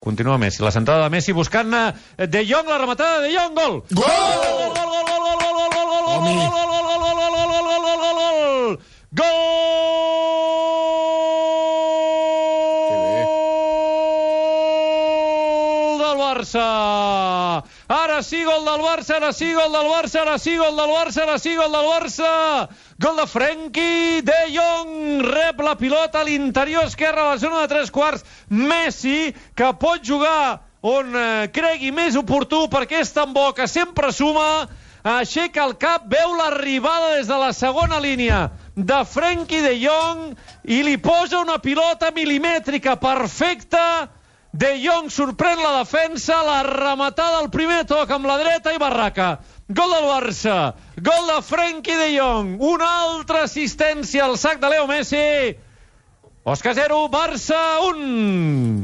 Continua Messi. La centrada de Messi buscant De Jong, la rematada de De Jong, gol! Gol! Del Barça! Ara sí, gol del Barça, ara sí, gol del Barça, ara sí, gol del Barça, ara sí, gol del Barça! Gol de Frenkie de Jong, rep la pilota a l'interior esquerre a la zona de 3/4. Messi, que pot jugar on cregui més oportú perquè és tan bo que sempre suma, aixeca el cap, veu l'arribada des de la segona línia de Frenkie de Jong i li posa una pilota milimètrica perfecta. De Jong sorprèn la defensa, la rematada al primer toc amb la dreta i barraca. Gol del Barça, gol de Frenkie de Jong, una altra assistència al sac de Leo Messi. Osca 0, Barça 1.